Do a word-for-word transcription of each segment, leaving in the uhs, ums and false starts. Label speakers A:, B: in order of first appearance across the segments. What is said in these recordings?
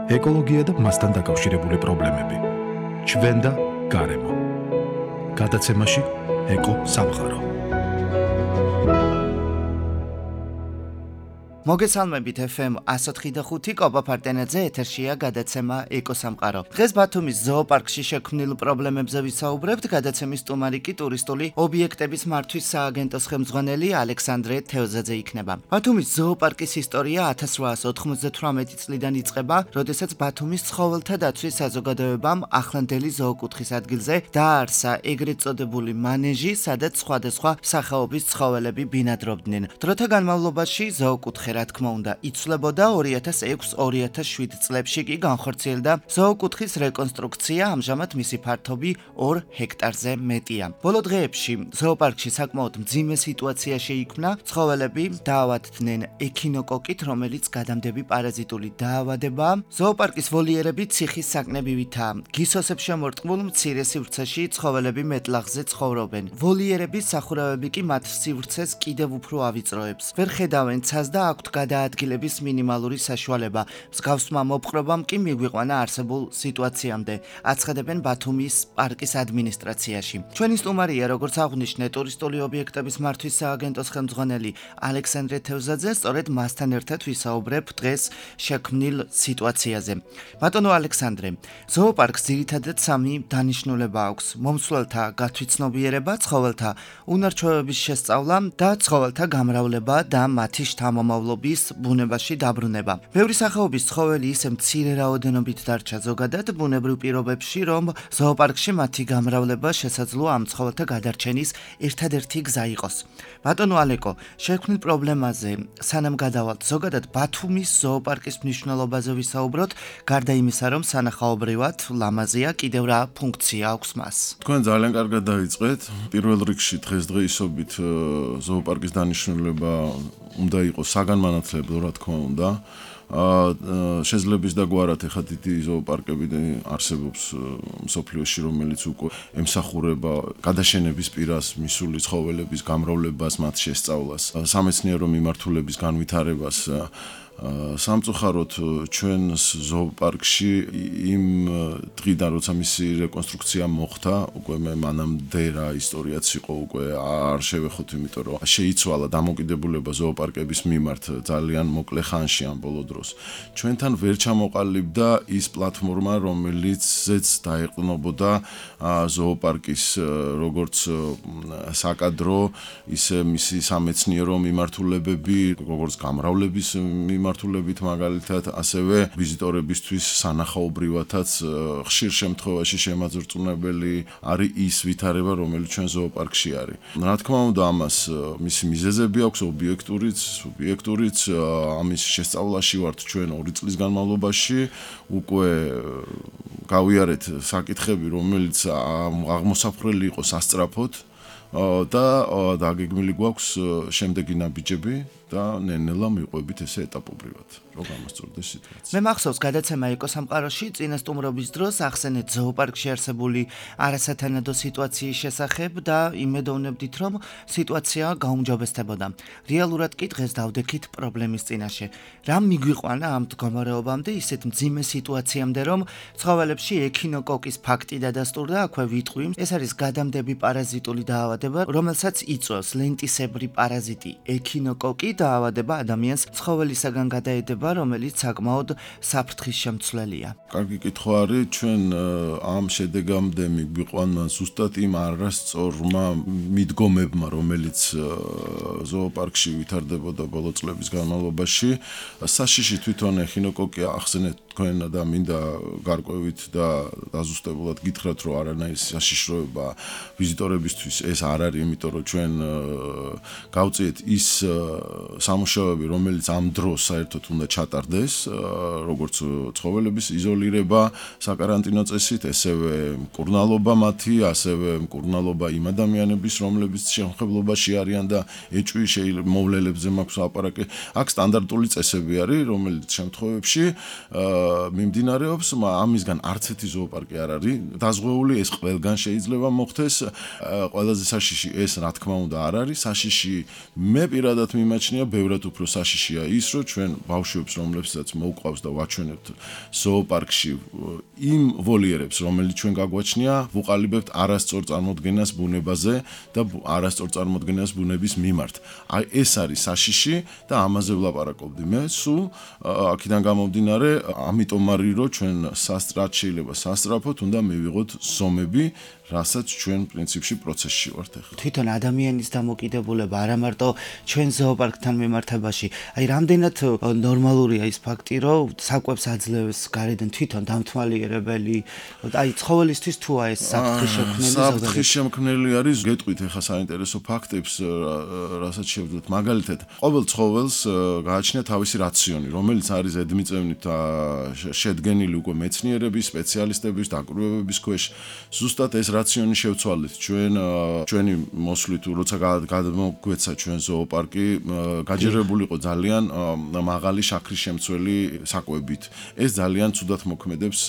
A: ეკოლოგია და მასთან დაკავშირებული პრობლემები. ჩვენ და გარემო. გადაცემაში ეკო სამყარო.
B: მოგესალმებით ეფ ემ εκατს ოთხი და ხუთი კობა ფარტენაძე ეთერშია გადაცემა ეკო სამყარო. დღეს ბათუმის ზოოპარკში შექმნილ პრობლემებზე ვისაუბრებთ. გადაცემის სტუმარი კი ტურისტული ობიექტების მართვის სააგენტოს ხელმძღვანელი ალექსანდრე თევზაძე იქნება. ბათუმის ზოოპარკის ისტორია ათას რვაას ოთხმოცდათვრამეტი წლიდან იწყება, როდესაც ბათუმის ცხოველთა დაცვის საზოგადოებამ ახლანდელი ზოოკუთხის ადგილზე დააარსა ეგრეთ წოდებული მანეჟი, სადაც სხვადასხვა სახეობის ცხოველები ბინადრობდნენ. დროთა განმავლობაში ზოოკუთხე რა თქმა უნდა იცვლებოდა. ორი ათას ექვსი ორი ათას შვიდ წლებში კი განხორციელდა ზოოკუთხის რეკონსტრუქცია, ამჟამად მისი ფართობი ორ ჰექტარზე მეტია. ბოლო დღეებში ზოოპარკში საკმაოდ მძიმე სიტუაცია შეიქმნა. ცხოველები დაავადდნენ ექინოკოკით, რომელიც გადამდები პარაზიტული დაავადებაა. ზოოპარკის ვოლიერები ციხის საკნებივითაა. გისოსებ შემორტყმულ მცირე სივრცეში ცხოველები მეტლაღზე ცხოვრობენ. ვოლიერების სახურავები კი მათ სივრცეს კიდევ უფრო ავიწროებს. ვერ ხედავენ ცას და აქვთ გადაადგილების მინიმალური საშუალება. მსგავსმა მოპყრობამ კი მიგვიყვანა არსებულ სიტუაციამდე, აცხადებენ ბათუმის პარკის ადმინისტრაციაში. ჩვენი სტუმარია, როგორც აღვნიშნე, ტურისტული ობიექტების მართვის სააგენტოს ხელმძღვანელი ალექსანდრე თევზაძე. სწორედ მასთან ერთად ვისაუბრებ დღეს შექმნილ სიტუაციაზე. ბატონო ალექსანდრე, ზოოპარკს ძირითადად სამი დანიშნულება აქვს: მომსვლელთა გათვითცნობიერება, ცხოველთა უნარჩვევების შესწავლა და ცხოველთა გამრავლება და მათი შთამომავლობის ბუნებაში დაბრუნება. ბევრი სახეობის ცხოველი ისე მცირე რაოდენობით დარჩა ზოგადად ბუნებრივ პირობებში, რომ ზოოპარკში მათი გამრავლება შესაძლოა ამ ცხოველთა გადარჩენის ერთადერთი გზა იყოს. ბატონო ალეკო, შექმნილ პრობლემაზე სანამ გადავალთ, ზოგადად ბათუმის ზოოპარკის მნიშვნელობაზე ვისაუბროთ, გარდა იმისა, რომ სანახაობრივად ლამაზია, კიდევ რა ფუნქცია აქვს მას?
C: თქვენ ძალიან კარგად დაიწყეთ. პირველ რიგში დღესდღეობით ზოოპარკის დანიშნულება უნდა იყოს საგანმანათლებლო, რა თქმა უნდა. შეძლების დაგვარად ეხა დიდი ზოოპარკები არსებობს მსოფლიოში, რომელიც უკვე ემსახურება გადაშენების პირას მისული ცხოველების გამრავლებას, მათ შესწავლას, სამეცნიერო მიმართულების განვითარებას. სამწუხაროდ ჩვენს ზოოპარკში იმ დღიდან, როცა მისი რეკონსტრუქცია მოხდა, უკვე მე მანამდე რა ისტორიაც იყო, უკვე არ შევეხოთ, იმიტომ რომ შეიცვალა დამოკიდებულება ზოოპარკების მიმართ ძალიან მოკლე ხანში ამ ბოლო დროს. ჩვენთან ვერ ჩამოყალიბდა ის პლატფორმა, რომელიცაც დაეყრდნობოდა ზოოპარკის როგორც საკადრო, ისე მისი სამეცნიერო მიმართულებები, როგორც გამრავლების მიმართულებით მაგალითად, ასევე ვიზიტორებისთვის სანახაობრივათაც ხშირ შემთხვევაში შემაძრწუნებელი არის ის ვითარება, რომელიც ჩვენ ზოოპარკში არის. რა თქმა უნდა, ამას მისი მიზეზები აქვს, ობიექტურიც, სუბიექტურიც. ამის შესწავლაში ვართ ჩვენ ორი წლის განმავლობაში. უკვე გავიარეთ საკითხები, რომელიც აღმოსაფრელი იყოს ასწრაფოდ და დაგეგმილი გვაქვს შემდეგი ნაბიჯები და ნელ-ნელა მივყვებით ესე ეტაპობრივად, რომ გამოსწორდეს სიტუაცია.
B: მე მახსოვს გადაცემა ეკო სამყაროში წინა სტუმრობის დროს ახსენეთ ზოოპარკში არსებული არასათანადო სიტუაციის შესახებ და იმედოვნებდით, რომ სიტუაცია გაუმჯობესდებოდა. რეალურად კი დღეს დავდექით პრობლემის წინაშე. რა მიგვიყვანა ამ მდგომარეობამდე, ისეთ მძიმე სიტუაციამდე, რომ ცხოველებში ექინოკოკის ფაქტი დადასტურდა, აქვე ვიტყვი, ეს არის გადამდები პარაზიტული დაავადება, რომელსაც იწვევს ლენტისებრი პარაზიტი ექინოკოკი. დაავადება ადამიანს ცხოველისაგან გადაედება, რომელიც საკმაოდ საფრთხის შემცვლელია.
C: კარგი კითხვა არის. ჩვენ ამ შედეგამდე მიგვიყვანა ზუსტად იმ არასწორმა მიდგომებმა, რომელიც ზოოპარკში ვითარდებოდა ბოლო წლების განმავლობაში. საშიში თვითონ ექინოკოკი ახსენეთ თქვენ და მინდა გარკვევით და დაზუსტებულად გითხრათ, რომ არანაირი საშიშროება ვიზიტორებისთვის ეს არ არის, იმიტომ რომ ჩვენ გავწიეთ ის სამუშაოები, რომელიც ამ დროს საერთოდ უნდა ჩატარდეს, როგორც ცხოველების იზოლირება საკარანტინო წესით, ესევე მკურნალობა მათი, ასევე მკურნალობა იმ ადამიანების, რომლებიც შემხებლობაში არიან და ეჭვი მოვლელებზე მაქვს აპარაკი. აქ სტანდარტული წესები არის, რომელიც შემთხვევებში მიმდინარეობს, ამისგან არც ერთი ზოოპარკი არ არის დაზღვეული, ეს ყველგან შეიძლება მოხდეს. ყველაზე საშიში ეს რა თქმა უნდა არ არის საშიში. მე პირადად მიმაჩნია, ბევრად უფრო საშიშია ის, რომ ჩვენ ბავშვებს, რომლებსაც მოუყვავს და ვაჩვენებთ ზოოპარკში იმ ვოლიერებს, რომელიც ჩვენ გაგვაჩნია, ვუყალიბებთ არასწორ წარმოდგენას ბუნებაზე და არასწორ წარმოდგენას ბუნების მიმართ. აი ეს არის საშიში და ამაზე ვლაპარაკობდი მე. სულ აქედან გამომდინარე, ამიტომ არის რომ ჩვენ სასტრად შეიძლება სასტრაფოთ უნდა მივიღოთ ზომები, რასაც ჩვენ პრინციპში პროცესში ვართ ახლა.
B: თვითონ ადამიანის დამოკიდებულება არა მარტო ჩვენ ზოოპარკთან მიმართებაში, აი რამდენად ნორმალურია ის ფაქტი, რომ საკვებს აძლევს გარედან თვითონ დამთვალიერებელი, აი ცხოველისთვის თუა ეს საფრთხის შემქმნელი ზოგადად.
C: საფრთხის შემქმნელი არის, გეტყვით ახლა საინტერესო ფაქტებს, რასაც შევძლოთ. მაგალითად, ყოველ ცხოველს გააჩნია თავისი რაციონი, რომელიც არის ზედმიწევნით შედგენილი უკვე მეცნიერების, სპეციალისტების, დაკვირვებების ქვეშ. ზუსტად ეს რაციონი შევცვალეთ ჩვენ ჩვენი მოსვლით, როცა გადმოგვეცა ჩვენ ზოოპარკი, გაჯერებული იყო ძალიან მაღალი შაქრის შემცველი საკვებით. ეს ძალიან ცუდად მოქმედებს,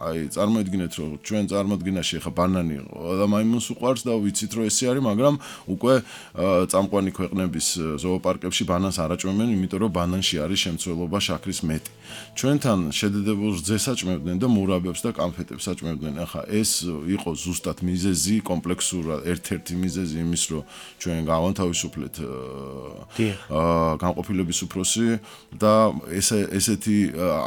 C: აი წარმოიდგინეთ, რომ ჩვენ წარმოდგენაში ახლა ბანანი და მაიმუნს უყვარს და ვიცით რომ ესე არის, მაგრამ უკვე წამყვანი ქვეყნების ზოოპარკებში ბანანს არ აჭმევენ, იმიტომ რომ ბანანში არის შემცველობა შაქრის მეტი. ჩვენთან შედედებულ რძეს აჭმევდნენ და მურაბებს და კამფეტებს აჭმევდნენ. ახლა ეს იყო ზუსტად მიზეზი, კომპლექსურად ერთ-ერთი მიზეზი იმის, რომ ჩვენ გავანთავისუფლეთ განყოფილების უფროსი და ესე ესეთი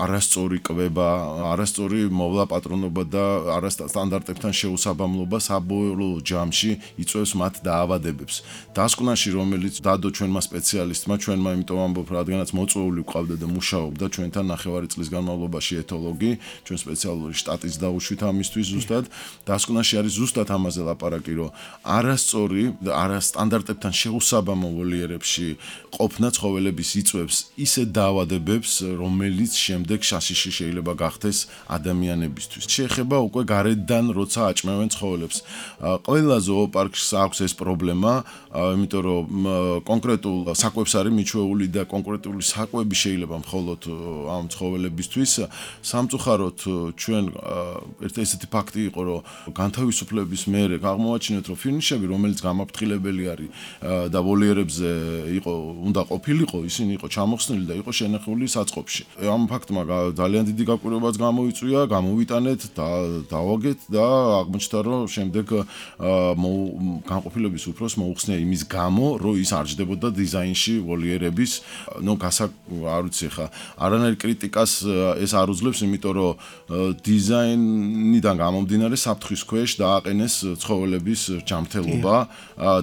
C: არასწორი კვება, არასწორი მოვლა პატრონობა და არასტანდარტებთან შეუსაბამლობა საბოლოო ჯამში იწვევს მათ დაავადებებს. დასკვნაში, რომელიც დადო ჩვენმა სპეციალისტმა, ჩვენმა იმიტომ ამბობ, რადგანაც მოწვეული ვყავდა და მუშაობდა ჩვენთან ნახევარი წლის განმავლობაში ეთოლოგი, ჩვენ სპეციალური შტატიც დაუშვით ამისთვის ზუსტად. დასკვნაში არის ზუსტად ამაზე ლაპარაკი, რომ არასწორი და არასტანდარტებთან შეუსაბამო ვოლიერებში ყოფნა ცხოველების იწვევს ისე დაავადებებს, რომელიც შემდეგ საშიში შეიძლება გახდეს ადამიანებისთვის. შეეხება უკვე გარედან, როცა აჭმევენ ცხოველებს. ყველა ზოოპარკს აქვს ეს პრობლემა, იმიტომ რომ კონკრეტულ საკვებს არის მიჩვეული და კონკრეტული საკვები შეიძლება მხოლოდ ამ ცხოველებისთვის. სამწუხაროდ ჩვენ ერთ ესეთი ფაქტი იყო, რომ განთავისუფლების მერე აღმოაჩინეთ, რომ ფინიშები, რომელიც გამაფრთხილებელი არის და ვოლიერებზე იყო, უნდა ყოფილიყო, ისინი იყო ჩამოხსნილი და იყო შენახული საწყობში. ამ ფაქტმა ძალიან დიდი გაკვირვებაც გამოიწვია, გამოვიტანეთ და დავაგეთ და აღმოჩნდა, რომ შემდეგ განყოფილების უფროს მოუხსნია იმის გამო, რომ ის არ ჯდებოდა დიზაინში ვოლიერების, ნუ გასა არ ვიცი ხა, არანაირ კრიტიკას ეს არ უძლებს, იმიტომ რომ დიზაინიდან გამომდინარე საფრთხის ქვეშ დააყენეს ცხოველების ჯანმრთელობა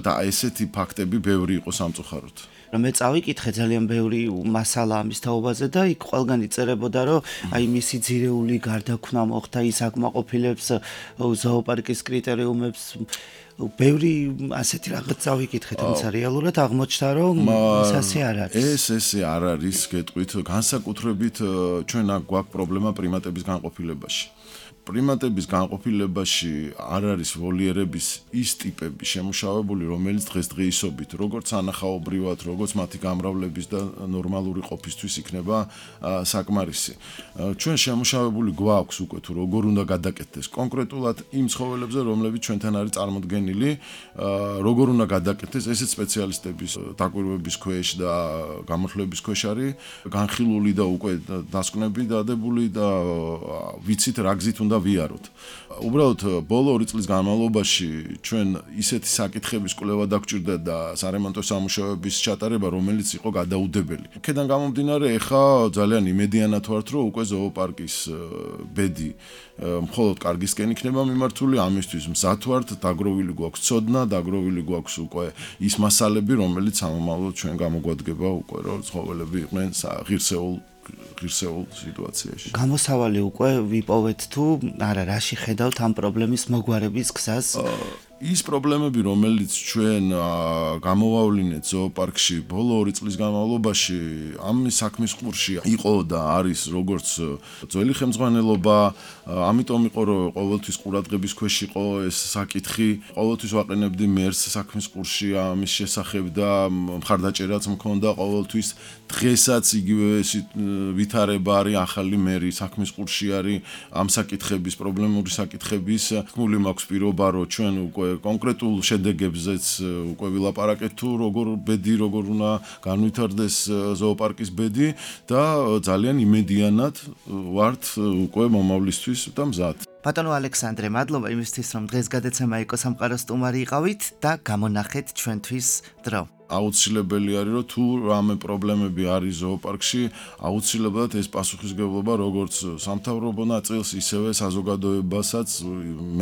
C: და ესეთი ფაქტები ბევრი იყო სამწუხაროდ.
B: მე წავიკითხე ძალიან ბევრი მასალა ამის თაობაზე და იქ ყველგან იწერებოდა, რომ აი მისი ძირეული გარდაქმნა მოხდა, ის აკმაყოფილებს ზოოპარკის კრიტერიუმებს. ბევრი ასეთი რაღაც წავიკითხე, თუმცა რეალურად აღმოჩნდა, რომ ეს ასე არ არის.
C: ეს ესე არ არის, გეტყვით, განსაკუთრებით ჩვენ აქ გვაქვს პრობლემა პრიმატების განყოფილებაში. პრიმატების განყოფილებაში არ არის ვოლიერების ის ტიპები შემუშავებული, რომელიც დღესდღეობით, როგორც ანახაობრივად, როგორც მათი გამრავლების და ნორმალური ყოფისთვის იქნება საკმარისი. ჩვენ შემუშავებული გვაქვს უკვე თუ როგორ უნდა გადაკეთდეს კონკრეტულად იმ ცხოველებზე, რომლებიც ჩვენთან არის წარმოდგენილი, როგორ უნდა გადაკეთდეს, ესეც სპეციალისტების დაკვირვების ქვეშ და გამოთვლების ქვეშ არის განხილული და უკვე დასკვნები დადებული და ვიცით რა გზით უნდა ვიაროთ. უბრალოდ ბოლო ორი წლის განმავლობაში ჩვენ ისეთი საკითხების კვლევა დაგჭირდა და სარემონტო სამუშაოების ჩატარება, რომელიც იყო გადაუდებელი. აქედან გამომდინარე, ეხა ძალიან იმედიანად ვართ, რომ უკვე ზოოპარკის ბედი მხოლოდ კარგისკენ იქნება მიმართული, ამისთვის მზად ვართ, დაგროვილი გვაქვს ცოდნა, დაგროვილი გვაქვს უკვე ის მასალები, რომელიც სამომავლოდ ჩვენ გამოგვადგება უკვე, რომ ცხოველები იყვნენ ღირსეულ ღირსეულ სიტუაციაში.
B: გამოსავალი უკვე ვიპოვეთ თუ არა, რაში ხედავთ ამ პრობლემის მოგვარების გზას?
C: ის პრობლემები, რომელიც ჩვენ გამოვავლინეთ ზოოპარკში ბოლო ორი წლის განმავლობაში, ამ საქმის ყურში იყო და არის როგორც ძველი ხელმძღვანელობა, ამიტომ იყო რომ ყოველთვის ყურადღების ქვეშ იყო ეს საკითხი, ყოველთვის ვაყენებდი მერს საქმის ყურში ამის შესახებ და მხარდაჭერაც მქონდა ყოველთვის. დღესაც იგივე ვითარება არის ახალი მერი საქმის ყურში არის ამ საკითხების, პრობლემური საკითხების. თქმული მაქვს პირობა რომ ჩვენ უკვე კონკრეტულ შედეგებზეც უკვე ვილაპარაკეთ თუ როგორ ბედი როგორ უნდა განვითარდეს ზოოპარკის ბედი და ძალიან იმედიანად ვართ უკვე მომავლისთვის და მზად.
B: ბატონო ალექსანდრე, მადლობა იმისთვის რომ დღეს გადაცემა ეკოსამყაროს სტუმარი იყავით და გამონახეთ ჩვენთვის დრო.
C: აუცილებელი არის რომ თუ რამე პრობლემები არის ზოოპარკში, აუცილებლად ეს პასუხისმგებლობა როგორც სამთავრობო ნაწილს, ისევე საზოგადოებასაც,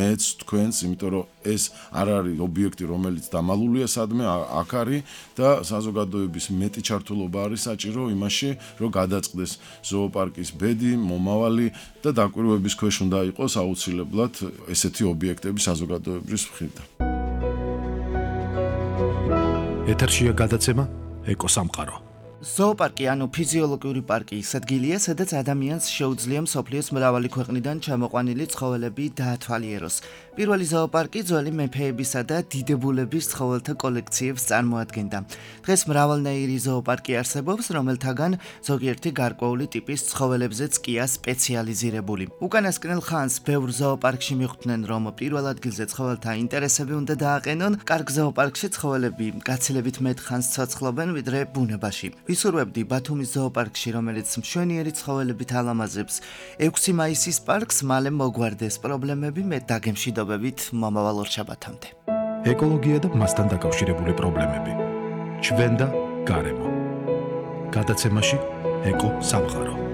C: მეც თქვენს, იმიტომ რომ ეს არ არის ობიექტი, რომელიც დამალულია სადმე, აქ არის და საზოგადოების მეტი ჩართულობა არის საჭირო იმაში, რომ გადაწყდეს ზოოპარკის ბედი, მომავალი და დაკვირვების ქვეშ უნდა იყოს აუცილებლად ესეთი ობიექტები საზოგადოებრივ მხრიდან.
A: ეთერშია გადაცემა ეკოსამყარო.
B: ზოოპარკი ანუ ფიზიოლოგიური პარკი ის ადგილია, სადაც ადამიანს შეუძლია მსოფლიოს მრავალი ქვეყნიდან ჩამოყვანილი ცხოველები დაათვალიეროს. პირველი ზოოპარკი ძველი მეფეებისა და დიდებულების ცხოველთა კოლექციებს წარმოადგენდა. დღეს მრავალნაირი ზოოპარკი არსებობს, რომელთაგან ზოგიერთი გარკვეული ტიპის ცხოველებზეც კია სპეციალიზირებული. უკანასკნელ ხანს ბევრ ზოოპარკში მიხვდნენ, რომ პირველ ადგილზე ცხოველთა ინტერესები უნდა დააყენონ. კარგ ზოოპარკში ცხოველები გაცილებით მეტ ხანს ცოცხლობენ, ვიდრე ბუნებაში. ვისურვებდი ბათუმის ზოოპარკში, რომელიც მშვენიერი ცხოველებით ალამაზებს ექვსი მაისის პარკს მალე მოგვარდეს პრობლემები მე დაგემშვიდობებით მომავალ ორშაბათამდე.
A: ეკოლოგია და მასთან დაკავშირებული პრობლემები. ჩვენ და გარემო. გადაცემაში ეკო სამყარო.